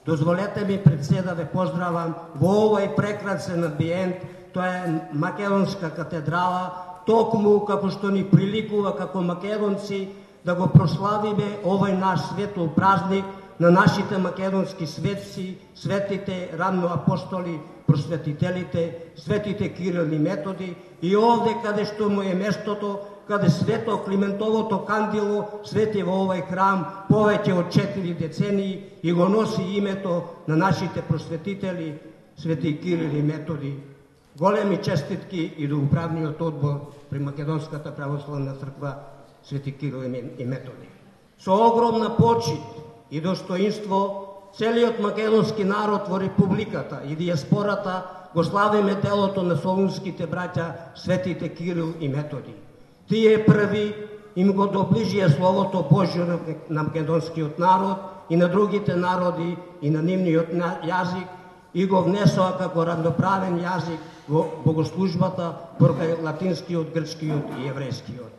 Дозволете ми пред се да ве поздравам во овој прекрасен амбиент. Тоа е Македонска катедрала, токму како што ни приликува како македонци да го прославиме овој наш светол празник на нашите македонски светци, светите рамноапостоли, просветителите, светите Кирил и Методи, и овде каде што му е местото, каде свето Климентовото кандило свети во овој храм повеќе од 4 децении и го носи името на нашите просветители, свети Кирил и Методи. Големи честитки и до управниот одбор при Македонската православна црква свети Кирил и Методи. Со огромна почит и достоинство целиот македонски народ во републиката и диаспората го славиме делото на солунските браќа светите Кирил и Методи. Тие први им го доближија Словото Божјо на македонскиот народ и на другите народи и на нивниот јазик и го внесоа како равноправен јазик во богослужбата покрај латинскиот, грчкиот и еврејскиот.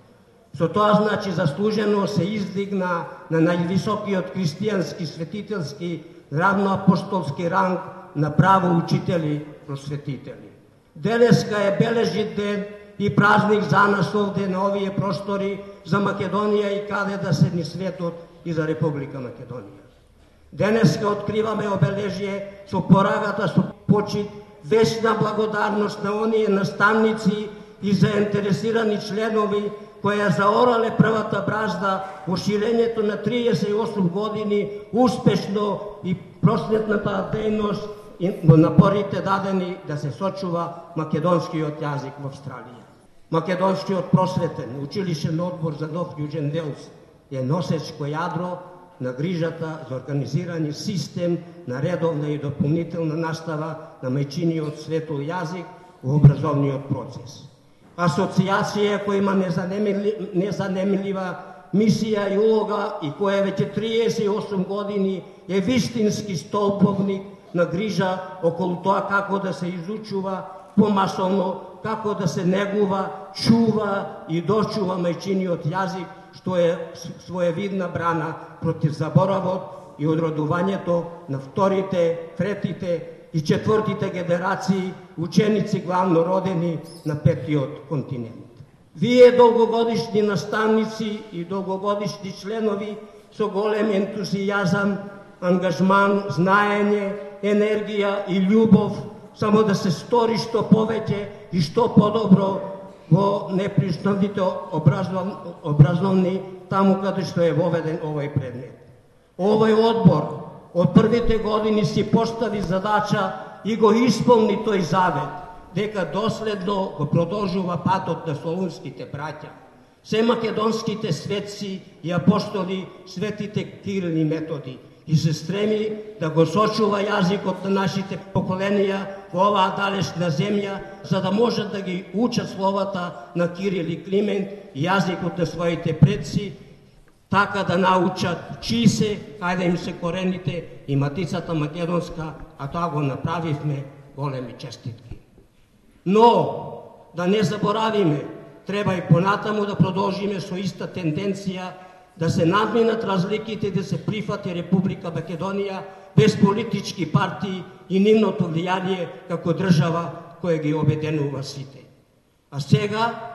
Со тоа значи заслужено се издигна на највисокиот христијански светителски равноапостолски ранг на право учители, просветители. Денеска е бележит ден и празник за нас овде на овие простори, за Македонија и каде да се ни светот и за Република Македонија. Денеска откриваме обележие со порагата со почит, вечна благодарност на оние наставници и заинтересирани членови кои заорале првата бразда во ширењето на 38 години успешно и просветната дејност и напорите дадени да се сочува македонскиот јазик во Австралија. Македонскиот просветен училишен одбор за Нов Јужен Велс е носечко јадро на грижата за организирани систем на редовна и дополнителна настава на мајчиниот светол јазик во образовниот процес. Асоциација која има незанемлива мисија и улога и која веќе 38 години е вистински столповник на грижа околу тоа како да се изучува помасовно, како да се негува, чува и дочува мајчиниот јазик, што е своевидна брана против заборавот и одродувањето на вторите, третите и четвртите генерации ученици главно родени на петиот континент. Вие долгогодишни наставници и долгогодишни членови со голем ентузијазам, ангажман, знаење, енергија и љубов само да се стори што повеќе и што подобро во неприснатите образовни таму каде што е воведен овој предмет. Овој одбор од првите години си постави задача и го исполни тој завет, дека доследно го продолжува патот на солунските браќа, се македонските светци и апостоли, светите Кирил и Методи, и се стреми да го сочува јазикот на нашите поколенија во оваа далечна земја, за да можат да ги учат словата на Кирил и Климент и јазикот на своите предци, така да научат чии се, каде им се корените и матицата македонска, а тоа го направивме, големи честитки. Но, да не заборавиме, треба и понатаму да продолжиме со иста тенденција, да се надминат разликите и да се прифати Република Македонија без политички партии и нивното влијание како држава која ги обединува сите. А сега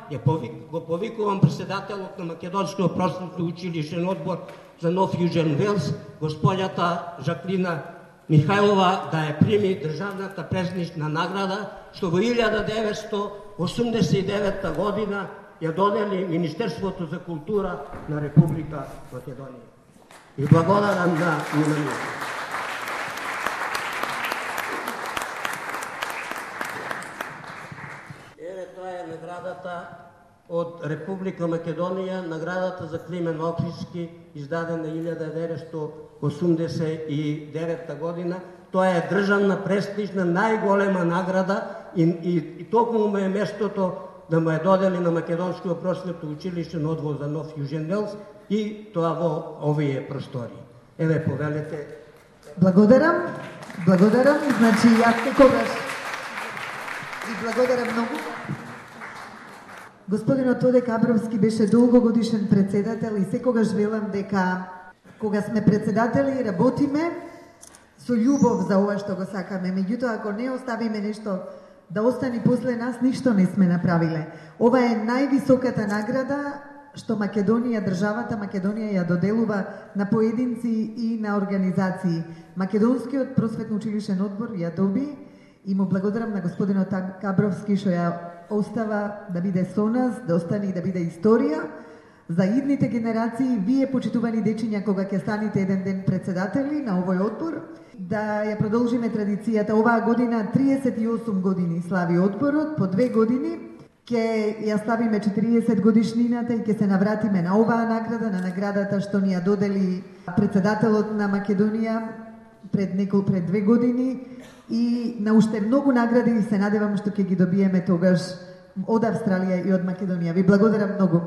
го повикувам председателот на Македонскиот просветно училишен одбор за Нов Јужен Велс, госпоѓата Жаклина Михајлова, да ја прими државната презвична награда, што во 1989 година ја додели Министерството за култура на Република Македонија. И благодарам на вниманието. Еве тоа е наградата од Република Македонија, наградата за Климен Охридски, издадена 1989 година. Тоа е државна престижна најголема награда и токму му е местото да му е додели на Македонскиот просветно училишен одбор за Нов Јужен Велс и тоа во овие простори. Еве, повелете. Благодарам. Значи, јас некогаш ви благодарам многу. Господинот Тоде Кабровски беше долгогодишен председател и секогаш велам дека кога сме председатели работиме со љубов за ова што го сакаме. Меѓутоа, ако не оставиме нешто да остани после нас, ништо не сме направиле. Ова е највисоката награда што Македонија, државата Македонија ја доделува на поединци и на организации. Македонскиот просветно училишен одбор ја доби и му благодарам на господинот Кабровски што ја остава да биде со нас, да остане и да биде историја. За идните генерации, вие почитувани дечиња, кога ќе станете еден ден председатели на овој одбор, да ја продолжиме традицијата. Оваа година 38 години слави одборот, по 2 години ќе ја славиме 40 годишнината и ќе се навратиме на оваа награда, на наградата што ни ја додели председателот на Македонија пред 2 години и на уште многу награди и се надевам што ќе ги добиеме тогаш од Австралија и од Македонија. Ви благодарам многу.